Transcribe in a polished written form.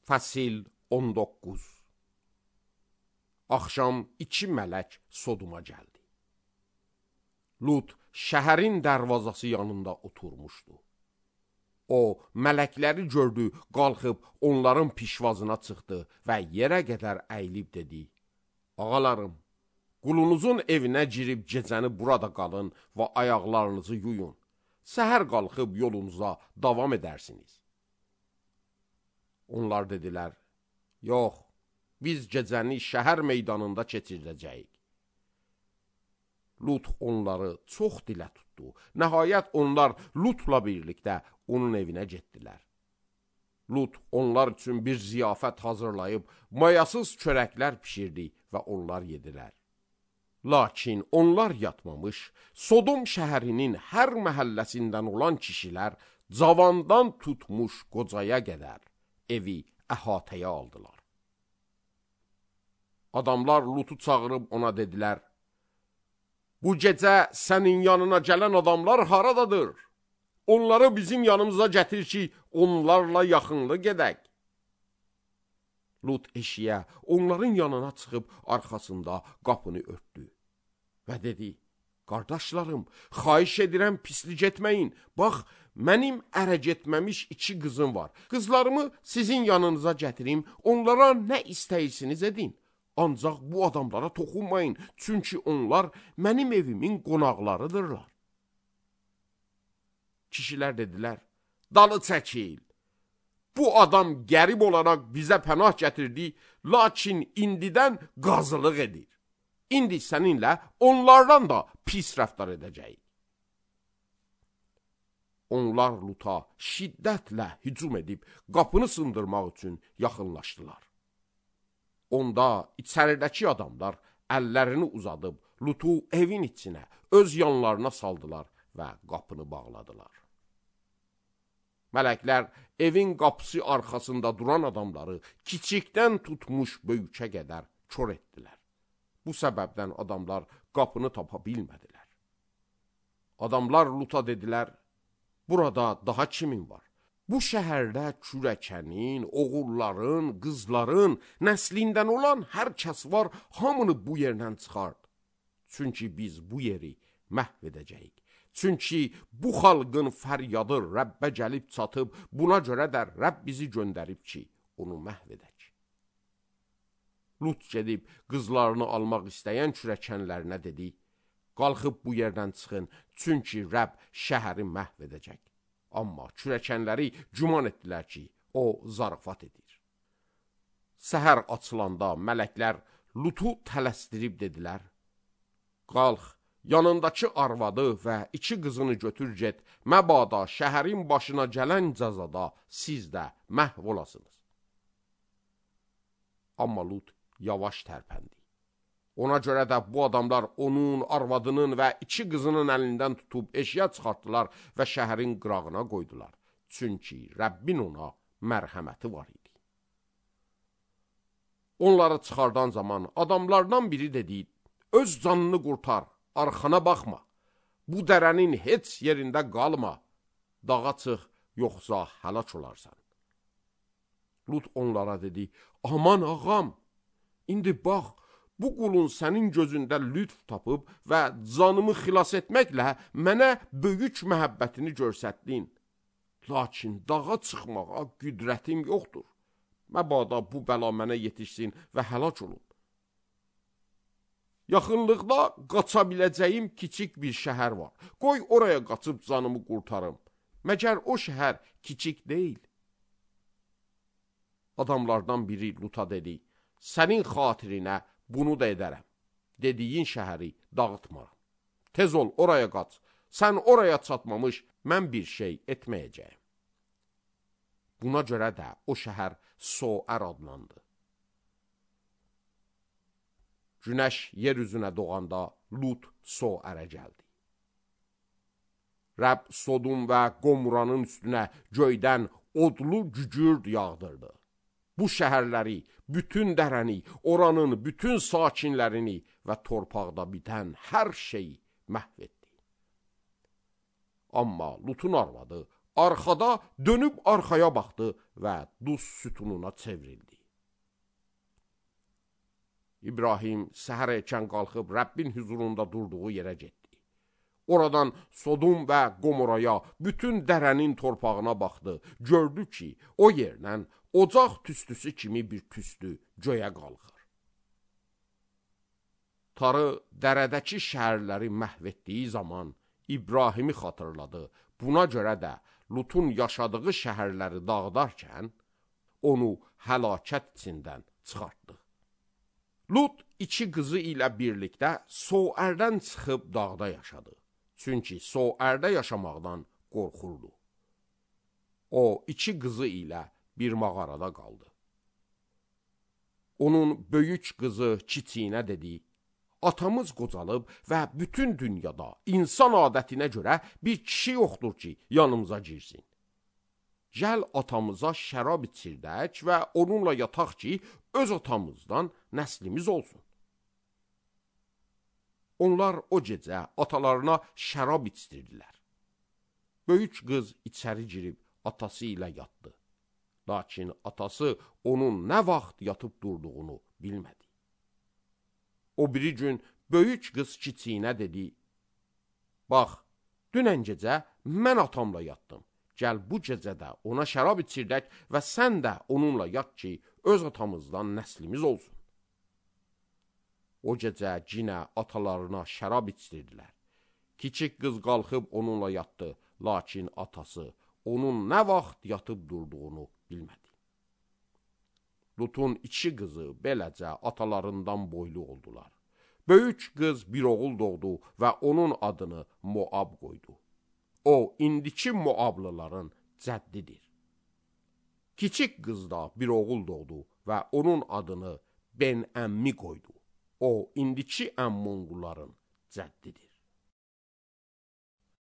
Fəsil 19. Axşam 2 mələk Sodoma gəldi. Lut şəhərin dərvazası yanında oturmuşdu. O, mələkləri gördü, qalxıb onların pişvazına çıxdı və yerə qədər əyilib dedi: Ağalarım, qulunuzun evinə girib gecəni burada qalın və ayaqlarınızı yuyun. Səhər qalxıb yolunuza davam edərsiniz. Onlar dedilər: Yox, biz gecəni şəhər meydanında keçirdəcəyik. Lut onları çox dilə tutdu. Nəhayət onlar Lutla birlikdə onun evinə getdilər. Lut onlar üçün bir ziyafət hazırlayıb mayasız çörəklər pişirdi və onlar yedilər. Lakin onlar yatmamış, Sodom şəhərinin hər məhəlləsindən olan kişilər cavandan tutmuş qocaya qədər evi əhatəyə aldılar. Adamlar Lutu çağırıb ona dedilər: Bu gecə sənin yanına gələn adamlar haradadır? Onları bizim yanımıza gətir ki, onlarla yaxınlıq gedək. Lut eşiyə onların yanına çıxıb arxasında qapını örtdü və dedi: Qardaşlarım, xahiş edirəm pislik etməyin. Bax, mənim ərə getməmiş 2 qızım var. Qızlarımı sizin yanınıza gətirim, onlara nə istəyirsiniz edin. Ancaq bu adamlara toxunmayın, çünki onlar mənim evimin qonaqlarıdırlar. Kişilər dedilər: Dalı çəkil. Bu adam qərib olaraq bizə pənah gətirdi, lakin indidən qazılıq edir. İndi səninlə onlardan da pis rəftar edəcəyik. Onlar Luta şiddətlə hücum edib qapını sındırmaq üçün yaxınlaşdılar. Onda içəridəki adamlar əllərini uzadıb Lutu evin içinə, öz yanlarına saldılar və qapını bağladılar. Mələklər evin qapısı arxasında duran adamları kiçikdən tutmuş böyükə qədər kör etdilər. Bu səbəbdən adamlar qapını tapa bilmədilər. Adamlar Luta dedilər: Burada daha kimin var? Bu şəhərdə kürəkənin, oğulların, qızların, nəslindən olan hər kəs var, hamını bu yerdən çıxart. Çünki biz bu yeri məhv edəcəyik. Çünki bu xalqın fəryadı Rəbbə gəlib çatıb, buna görə də Rəbb bizi göndərib ki, onu məhv edək. Lut gedib qızlarını almaq istəyən kürəkənlərinə dedi: Qalxıb bu yerdən çıxın, çünki Rəbb şəhəri məhv edəcək. Amma kürəkənləri güman etdilər ki, o zarafat edir. Səhər açılanda mələklər Lutu tələsdirib dedilər: Qalx, yanındakı arvadı və 2 qızını götür get, məbada şəhərin başına gələn cəzada siz də məhv olasınız. Amma Lut yavaş tərpəndi. Ona görə də bu adamlar onun, arvadının və 2 qızının əlindən tutub eşiyə çıxartdılar və şəhərin qırağına qoydular. Çünki Rəbbin ona mərhəməti var idi. Onları çıxardan zaman adamlardan biri dedi: Öz canını qurtar, arxana baxma. Bu dərənin heç yerində qalma. Dağa çıx, yoxsa həlak olarsan. Lut onlara dedi: Aman ağam, indi bax, bu qulun sənin gözündə lütf tapıb və canımı xilas etməklə mənə böyük məhəbbətini göstərdin. Lakin dağa çıxmağa qüdrətim yoxdur. Məbada bu bəla mənə yetişsin və həlak olun. Yaxınlıqda qaça biləcəyim kiçik bir şəhər var. Qoy oraya qaçıb canımı qurtarım. Məgər o şəhər kiçik deyil? Adamlardan biri Luta dedi: Sənin xatirinə bunu da edərəm. Dediyin şəhəri dağıtmaram. Tez ol, oraya qaç. Sən oraya çatmamış, mən bir şey etməyəcəyim. Buna görə də o şəhər Soər adlandı. Günəş yer üzünə doğanda Lut Soərə gəldi. Rəbb Sodom və Qomuranın üstünə göydən odlu gügürd yağdırdı. Bu şəhərləri, bütün dərəni, oranın bütün sakinlərini və torpaqda bitən hər şeyi məhv etdi. Amma Lutun arvadı arxada dönüb arxaya baxdı və duz sütununa çevrildi. İbrahim səhər erkən qalxıb Rəbbin huzurunda durduğu yerə getdi. Oradan Sodom və Gomorraya, bütün dərənin torpağına baxdı. Gördü ki, o yerdən ocaq tüstüsü kimi bir tüstü göyə qalxır. Tarı dərədəki şəhərləri məhv etdiyi zaman İbrahimi xatırladı. Buna görə də Lutun yaşadığı şəhərləri dağıdarkən onu həlakət içindən çıxartdı. Lut iki qızı ilə birlikdə Soərdən çıxıb dağda yaşadı. Çünki Soərdə yaşamaqdan qorxurdu. O iki qızı ilə bir mağarada qaldı. Onun böyük qızı kiçiyinə dedi: "Atamız qocalıb və bütün dünyada insan adətinə görə bir kişi yoxdur ki, yanımıza girsin. Gəl atamıza şərab içirdək və onunla yataq ki, öz atamızdan nəslimiz olsun." Onlar o gecə atalarına şərab içdirdilər. Böyük qız içəri girib atası ilə yatdı. Lakin atası onun nə vaxt yatıb durduğunu bilmədi. O biri gün böyük qız kiçiyinə dedi: "Bax, dünən gecə mən atamla yatdım. Gəl bu gecə də ona şərab içirdək və sən də onunla yat ki, öz atamızdan nəslimiz olsun." O gecə cinə atalarına şərab içdirdilər. Kiçik qız qalxıb onunla yatdı, lakin atası onun nə vaxt yatıb durduğunu bilmədi. Lutun iki qızı beləcə atalarından boylu oldular. Böyük qız bir oğul doğdu və onun adını Moab qoydu. O, indiki Moablıların cəddidir. Kiçik qız da bir oğul doğdu və onun adını Ben-Əmmi qoydu. O, indiki Əmmonquların cəddidir.